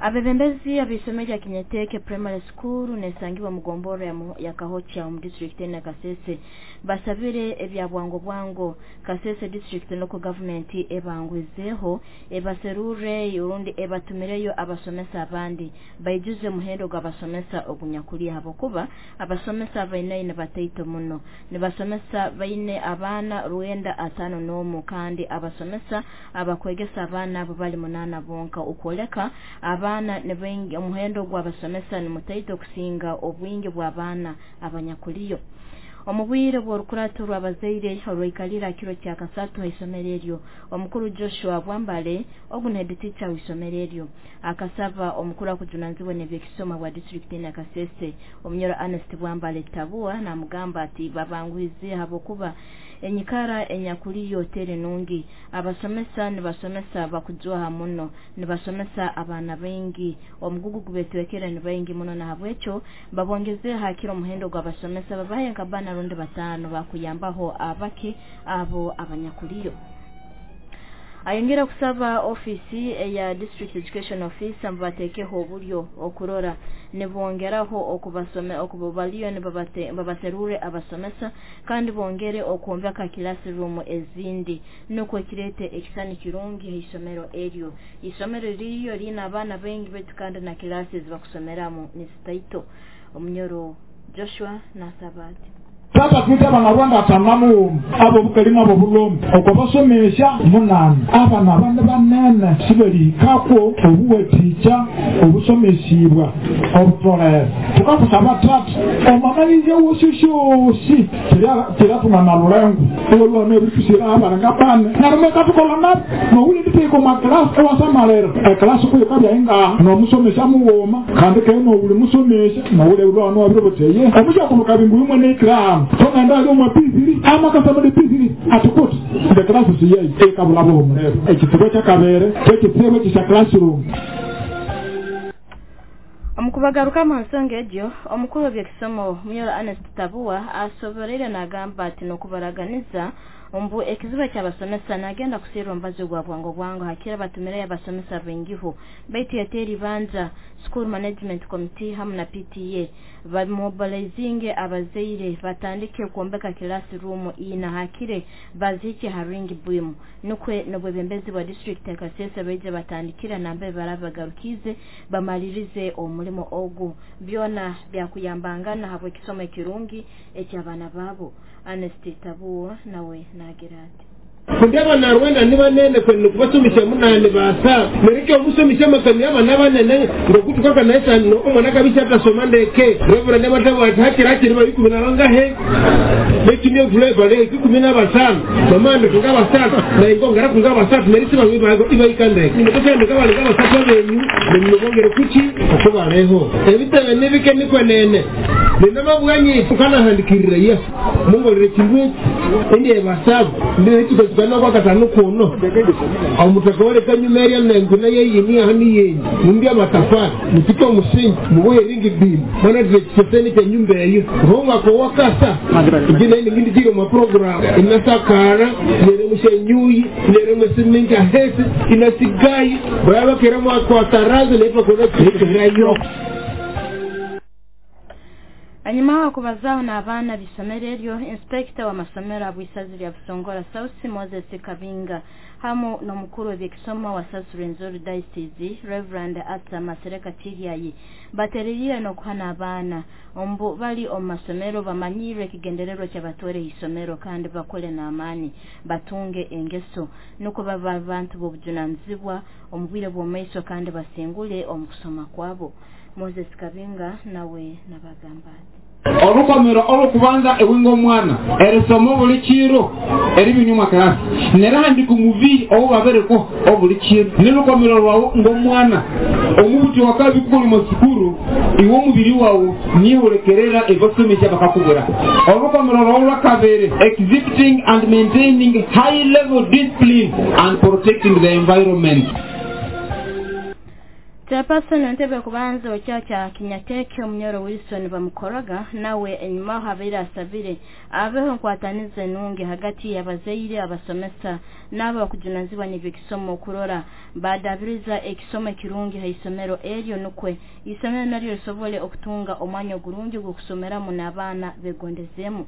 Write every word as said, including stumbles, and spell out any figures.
Abebembezi ab'isomero lya Kinyeteke Primary School nesangibwa mu gombora ya, ya Kahocha mu district ya Kasese basabire ebya bwango bwango Kasese district local government ebangwizeho ebaserure urundi ebatumireyo abasomesa abandi baijuze muhendo gw'abasomesa ogunyakuli habokuba abasomesa baine ne bataito muno nibasomesa baine abaana rwenda atano n'omu kandi abasomesa abakwegesa abaana abo bali munana bonka ukwoleka abaana nibaingi omuhendo gw'abasomesa ni mutaito kusinga obwingi bw'abaana abanyakuliyo. Omubwire bw'orukurato rw'abazaire orwaikalira kiro kya kasatu haisomero eryo, omukuru Joshua Bwambale ogu ni head teacher w'isomero eryo akasaba omukuru akujunanizibwa n'ebyekisoma bwa district ya Kasese omunyoro Ernest Bwambale Tabua namugamba ati babangwize habwokuba enyikara enyakuliyo teri nungi, abasomesa nibasomesa bakujwaha muno, nibasomesa abaana baingi, omugugu gubetwekera ni baingi muno, na habwekyo babongeze hakiro omuhendo gw'abasomesa babahe nka bana rundi batano bakuyambaho abake abo abanyakuliyo. Ayongera kusaba ofisi eya District Education Office mbatekeho obulyo okurora nibongeraho okubasome okubaliyo nibabate babaserure abasomesa kandi bongere okwombeka classroom ezindi nukwo kirete ekisani kirungi isomero eryo. Isomero ririyo lina abaana baingi betu kandi na classes bakusomeramu nisitaito. Omunyoro Joshua nasabati tata twite abanyarwanda atanamu abo bukalima abo bulombe okubasomesha munani abana abandi banene sibelikako obuwetica obusomesibwa obutolera tukakusaba tata omamalize wososhosi tiratungana lulengo olwana ebitusira abana ngabane narumeka tukola nabo nowuli nditeko maklasi ewasamalera eklasi kuyo kabyainga nomusomesha muwoma kandi ke nowuli musomesha nowuli ulwana wabiroboteye omushakunuka bingu imwe neikiramu tongenda ali omwa P three ama kasama de P three atukut the class siye ekabulabo omulero ekitebo kyakabere kyekitebo kya classroom. Omukubagaruka mu nsonga egyo omukuru w'ebyekisomo Munyoro Ernest Tabua asoboreire nagamba ati nokubaraganiza ombu ekiziba ky'abasomesa nagenda kusirwa mbazo gwa bwango bwango hakira batumire abasomesa bengiho baitu yateri banja School Management Committee hamu na P T A bamobilizinge abazaire batandike kuombeka classroom ina hakire bazike haringi bwimu nukwe nobwebembezi bwa district ya Kasese baije batandikira nambe barabagarukize bamalirize omulimo ogu byona byakuyambangana habwe kisomo ekirungi ekyabana babo. Ernest Tabua nawe nagira ati kundeba na Rwanda niba nene kwe nukubasumisha munane basa mereke omusomisha makani abana banene ngokutuka naisa no omwana kabisa atasoma ndeke Reverend Matabo atakira akiri bali kumi na bangahe bekimye flavor le kumi na basano mamando tunga basano na ingongera kunga basano merisi bangi iba ikande nimekosha ndeka bali kaba basano benyu nimubongere kuchi okubaleho ebitebe nibike nikwenene ninamabwanyi tukana handikirira Yesu mungolere kindwe ndiye basabu ndiye tukazana kwa katano kuno omutaka kanyumeria nenguna yeyini ahani yenyi mumbya matafari mutike omusingi mubuye ringi bimu mana tuveteni kya nyumba eyo honga ko wakasa ngine ngindi jiro ma program inasakara nere mushenyuyi nere musiminga hesi inasigai baba keramo kwa tarazo lepa kwa kirayo. Anyuma kubazao na abana bisomero eryo inspector wa masomero abwisazi lya Busongora South Moses Kabinga hamu n'omukuru w'ebyekisoma wa South Rwenzori Diocese Reverend Arthur Masereka Tiryayi batererire n'okuhana abaana ombu bali omu masomero bamanyirwe ekigendererwa ky'abatwere isomero kandi bakole n'amaani batunge engeso nuko baba abantu b'obujunanizibwa omu bwire bw'omaiso kandi basingule omu kusoma kwabo. Moses Kabinga nawe nabagamba ati orukomero olukubanza ewingo omwana erisomo buli kiro eribinyuma class nerahandi kumubiri obubabereko obuli kiro nirukomero rwawo ng'omwana omubuti wakabi kukuli mu sukuru iwe omubiri wawo nihurekerera ebasomesha bakakubura. Orukomero rwawo rwakabere exhibiting and maintaining high level discipline and protecting the environment. Chairperson entebe kubanza okyakya Kinyateke Omunyoro Wilson bamukoraga nawe enyuma habaire asabire abeho nkwatanize nungi hagati y'abazaire, abasomesa n'abo bakujunanizibwa n'ebyekisomo okurora badabiriza ekisomo ekirungi ha isomero eryo, nukwe isomero naryo lisobole okutunga omwanya ogurungi gw'okusomeramu n'abaana begondezemu.